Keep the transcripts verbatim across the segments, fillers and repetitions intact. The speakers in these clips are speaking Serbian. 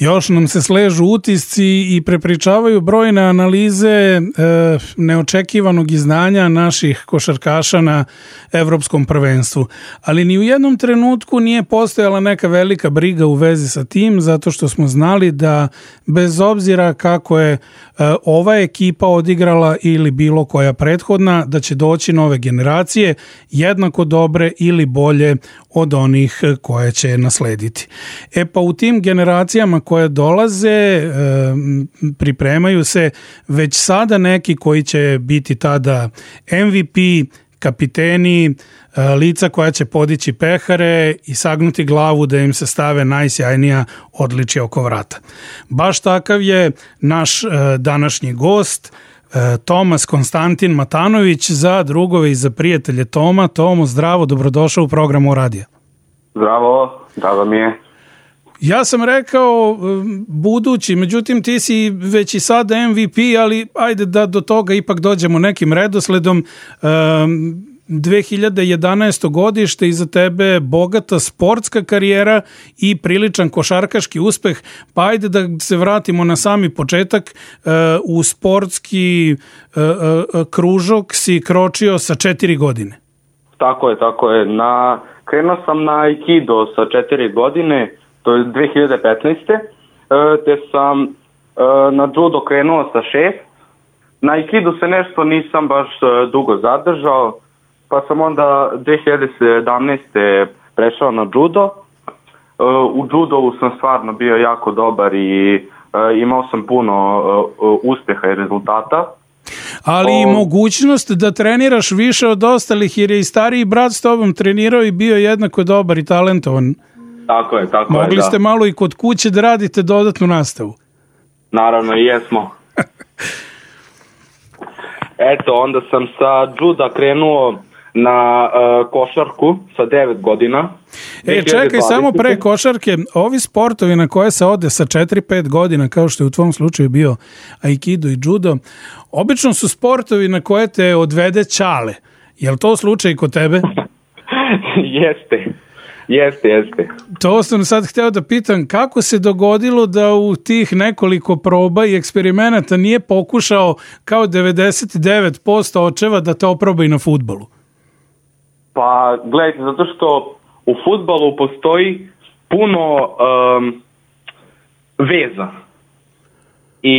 Još nam se sležu utisci i prepričavaju brojne analize e, neočekivanog izdanja naših košarkaša na evropskom prvenstvu. Ali ni u jednom trenutku nije postojala neka velika briga u vezi sa tim, zato što smo znali da bez obzira kako je e, ova ekipa odigrala ili bilo koja prethodna, da će doći nove generacije jednako dobre ili bolje od onih koje će naslediti. E pa u tim generacijama koje dolaze e, pripremaju se već sada neki koji će biti tada M V P, kapiteni, e, lica koja će podići pehare i sagnuti glavu da im se stave najsjajnija odličja oko vrata. Baš takav je naš e, današnji gost, Tomas Konstantin Matanović, za drugove i za prijatelje Toma. Tomo, zdravo, dobrodošao u programu Radija. Zdravo, zdravo mi je. Ja sam rekao budući, međutim ti si već i sada M V P, ali ajde da do toga ipak dođemo nekim redosledom. dve hiljade jedanaesto godište iza tebe, bogata sportska karijera i priličan košarkaški uspeh, pa ajde da se vratimo na sami početak. U sportski kružok si kročio sa četiri godine. Tako je, tako je. Na, krenuo sam na Aikido sa četiri godine, to je dve hiljade petnaeste. Te sam na judo krenuo sa šest. Na Aikidu se nešto nisam baš dugo zadržao, pa sam onda dve hiljade sedamnaeste prešao na judo. U judovu sam stvarno bio jako dobar i imao sam puno uspeha i rezultata. Ali i mogućnost da treniraš više od ostalih, jer je i stariji brat s tobom trenirao i bio jednako dobar i talentovan. Tako je, tako Mogli je, Mogli ste malo i kod kuće da radite dodatnu nastavu. Naravno, i jesmo. Eto, onda sam sa juda krenuo na uh, košarku sa devet godina. E, čekaj, samo pre košarke, ovi sportovi na koje se ode sa četiri pet godina, kao što je u tvom slučaju bio Aikido i judo, obično su sportovi na koje te odvede ćale. Je li to slučaj kod tebe? Jeste. Jeste, jeste. To sam sad hteo da pitam, kako se dogodilo da u tih nekoliko proba i eksperimenata nije pokušao kao devedeset devet posto očeva da te oproba i na fudbalu? Pa, gledajte, zato što u fudbalu postoji puno um, veza. I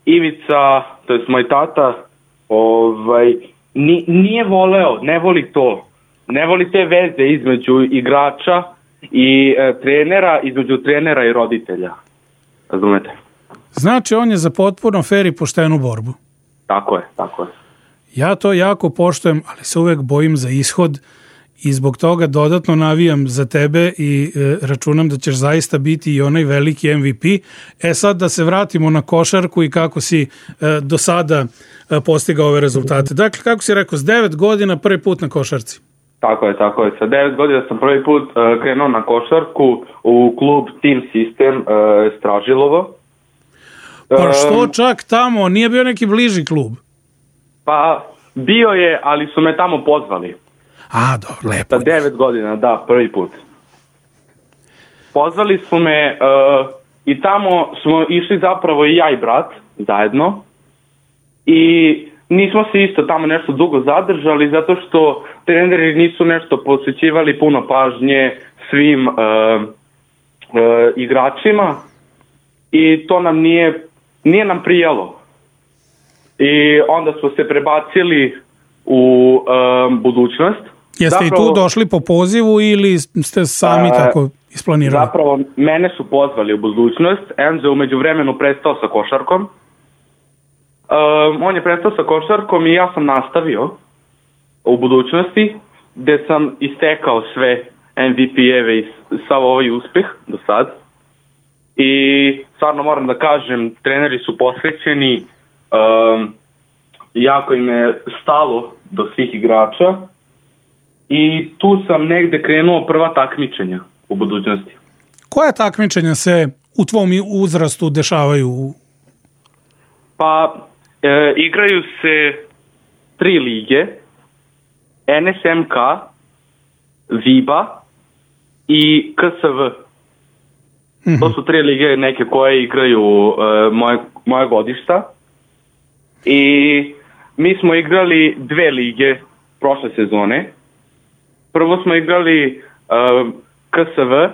Ivica, to je moj tata, ovaj, nije voleo, ne voli to. Ne voli te veze između igrača i e, trenera, između trenera i roditelja. Razumete? Znači, on je za potpuno fer i poštenu borbu. Tako je, tako je. Ja to jako poštujem, ali se uvek bojim za ishod i zbog toga dodatno navijam za tebe i e, računam da ćeš zaista biti i onaj veliki M V P. E sad da se vratimo na košarku i kako si e, do sada e, postigao ove rezultate. Dakle, kako si rekao, s devet godina prvi put na košarci? Tako je, tako je. Sa devet godina sam prvi put uh, krenuo na košarku u klub Team System uh, Stražilovo. Pa što čak tamo? Nije bio neki bliži klub? Pa bio je, ali su me tamo pozvali. A, dobro, lepo. Sa devet godina, da, prvi put. Pozvali su me uh, i tamo smo išli zapravo i ja i brat zajedno. I nismo se isto tamo nešto dugo zadržali zato što treneri nisu nešto posvećivali puno pažnje svim uh, uh, igračima i to nam nije, nije nam prijalo. I onda smo se prebacili u uh, budućnost. Jeste zapravo, i tu došli po pozivu ili ste sami uh, tako isplanirali? Zapravo, mene su pozvali u budućnost. Enzo je umeđu vremenu prestao sa košarkom. Um, on je prestao sa košarkom i ja sam nastavio u budućnosti gde sam istekao sve M V P-eve i sav ovaj uspeh do sad. I stvarno moram da kažem, treneri su posvećeni, um, jako im je stalo do svih igrača i tu sam negde krenuo prva takmičenja u budućnosti. Koja takmičenja se u tvom uzrastu dešavaju? Pa, e, igraju se tri lige, N S M K, V I B A i K S V. Mm-hmm. To su tri lige neke koje igraju uh, moje, moje godišta. I mi smo igrali dve lige prošle sezone. Prvo smo igrali uh, K S V,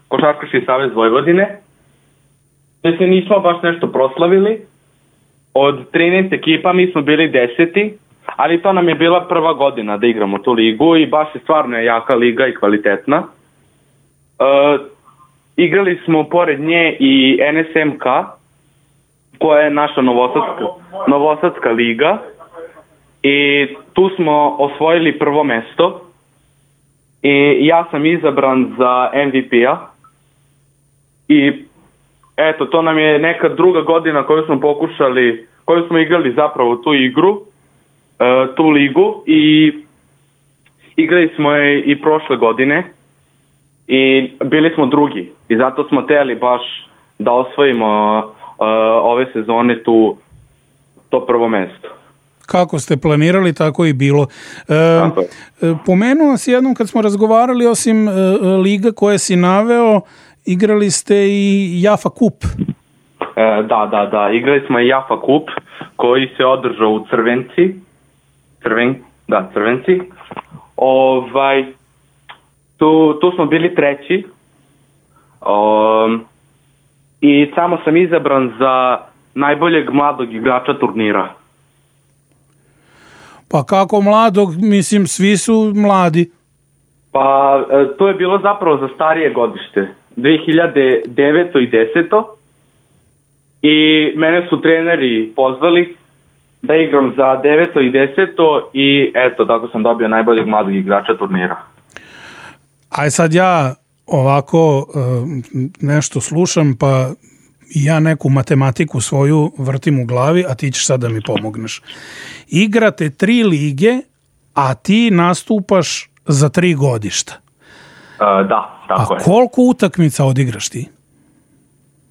Košarkaški savez Vojvodine. Mi se nismo baš nešto proslavili. Od trinaest ekipa mi smo bili deseti, ali to nam je bila prva godina da igramo tu ligu i baš je stvarno jaka liga i kvalitetna. Uh, igrali smo pored nje i N S M K, koja je naša novosadska, novosadska liga, i tu smo osvojili prvo mesto i ja sam izabran za M V P-a i eto, to nam je neka druga godina koju smo pokušali, koju smo igrali zapravo tu igru, uh, tu ligu, i igrali smo je i prošle godine i bili smo drugi i zato smo teli baš da osvojimo uh, ove sezone tu to prvo mesto. Kako ste planirali, tako i bilo. E, pomenuo si jednom kad smo razgovarali, osim e, liga koje si naveo, igrali ste i Jafa Kup. E, da, da, da. Igrali smo i Jafa Kup koji se održao u Crvenci. Crven, da, Crvenci. Ovaj, tu, tu smo bili treći. Um, I samo sam izabran za najboljeg mladog igrača turnira. Pa kako mladog? Mislim, svi su mladi. Pa to je bilo zapravo za starije godište. dve hiljade deveto i deseto. I mene su treneri pozvali da igram za deveto i deseto i eto, tako sam dobio najboljeg mladog igrača turnira. Aj sad ja ovako nešto slušam, pa ja neku matematiku svoju vrtim u glavi, a ti ćeš sad da mi pomogneš. Igrate tri lige, a ti nastupaš za tri godišta. Uh, da, tako a je. A koliko utakmica odigraš ti?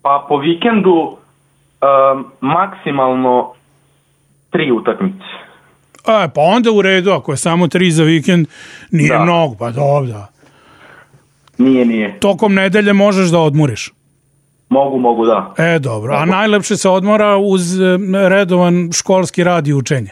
Pa po vikendu um, maksimalno tri utakmice. E, pa onda u redu, ako je samo tri za vikend, nije da. Mnogo, pa dobro. Nije, nije. Tokom nedelje možeš da odmoriš? Mogu, mogu, da. E, dobro. A najlepše se odmora uz redovan školski rad i učenje?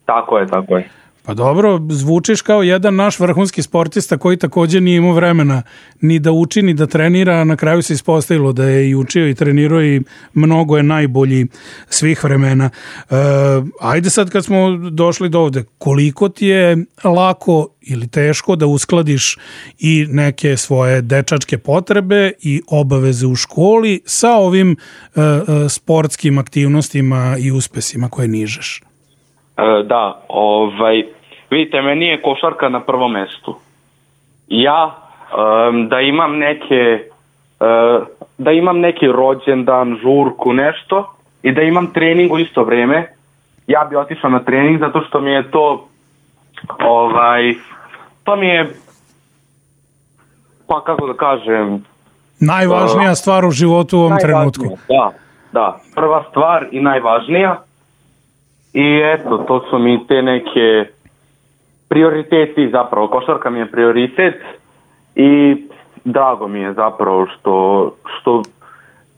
Tako je, tako je. Pa dobro, zvučiš kao jedan naš vrhunski sportista koji također nije imao vremena ni da uči, ni da trenira, a na kraju se ispostavilo da je i učio i trenirao i mnogo je najbolji svih vremena. E, ajde sad kad smo došli do ovde, koliko ti je lako ili teško da uskladiš i neke svoje dečačke potrebe i obaveze u školi sa ovim e, sportskim aktivnostima i uspesima koje nižeš? Da, ovaj, vidite, meni je košarka na prvom mestu. Ja um, da imam neke uh, da imam neki rođendan, žurku, nešto i da imam trening u isto vrijeme, ja bi otišao na trening zato što mi je to ovaj, to mi je, pa kako da kažem, najvažnija uh, stvar u životu u ovom trenutku. Da, da, prva stvar i najvažnija. I eto, to su mi te neke prioriteti zapravo. Košarka mi je prioritet i drago mi je zapravo što, što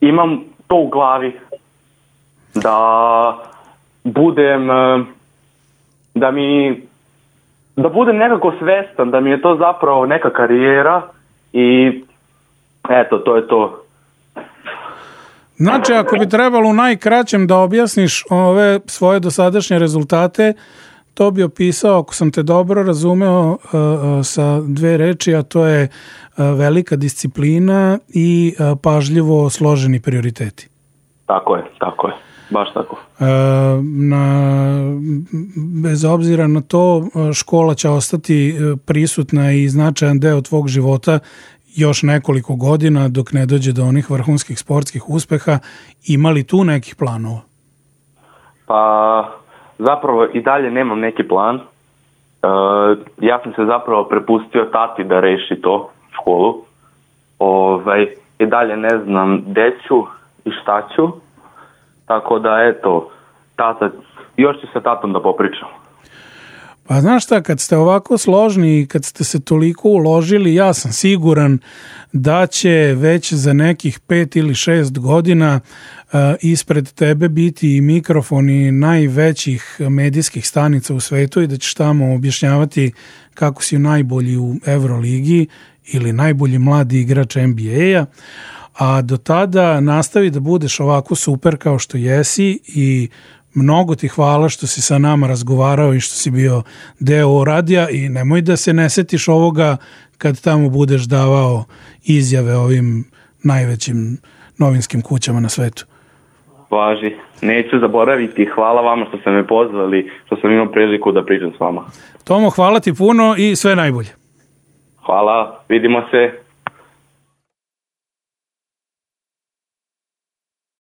imam to u glavi da budem, da mi, da budem nekako svestan da mi je to zapravo neka karijera i eto, to je to. Znači, ako bi trebalo u najkraćem da objasniš ove svoje dosadašnje rezultate, to bi opisao, ako sam te dobro razumeo, sa dve reči, a to je velika disciplina i pažljivo složeni prioriteti. Tako je, tako je. Baš tako. Na, bez obzira na to, škola će ostati prisutna i značajan deo tvog života još nekoliko godina dok ne dođe do onih vrhunskih sportskih uspeha. Ima li tu nekih planova? Pa zapravo i dalje nemam neki plan. Uh, ja sam se zapravo prepustio tati da reši to, školu. Ovaj, i dalje ne znam gde ću i šta ću. Tako da eto, tata, još ću sa tatom da popričam. Pa znaš šta, kad ste ovako složni i kad ste se toliko uložili, ja sam siguran da će već za nekih pet ili šest godina uh, ispred tebe biti i mikrofoni najvećih medijskih stanica u svetu i da ćeš tamo objašnjavati kako si najbolji u Euroligi ili najbolji mladi igrač N B A-a, a do tada nastavi da budeš ovako super kao što jesi i mnogo ti hvala što si sa nama razgovarao i što si bio deo radija i nemoj da se ne setiš ovoga kad tamo budeš davao izjave ovim najvećim novinskim kućama na svetu. Važi, neću zaboraviti. Hvala vama što ste me pozvali, što sam imao priliku da pričam s vama. Tomo, hvala ti puno i sve najbolje. Hvala, vidimo se.